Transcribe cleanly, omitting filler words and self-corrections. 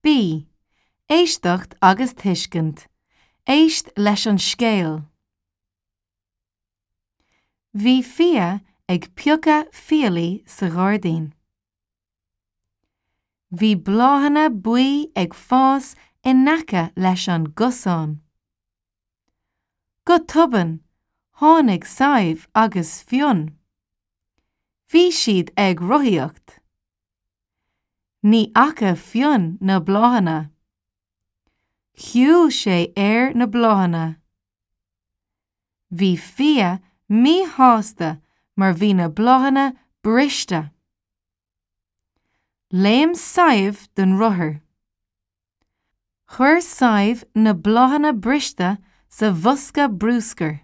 B. Éisteacht agus tuiscint. Éist leis an scéal. Bhí Fia ag piocadh fiailí sa ghairdín. Bhí bláthanna buí ag fás in aice leis an gcosán. Go tobann, tháinig Sadhbh agus Fionn. Bhí siad ag rothaíocht. Ní fhaca Fionn na bláthanna. Shiúil sé ar na bláthanna. Bhí Fia míshásta mar bhí na bláthanna briste. Léim Sadhbh den rothar. Chuir Sadhbh na bláthanna briste sa bhosca bruscair.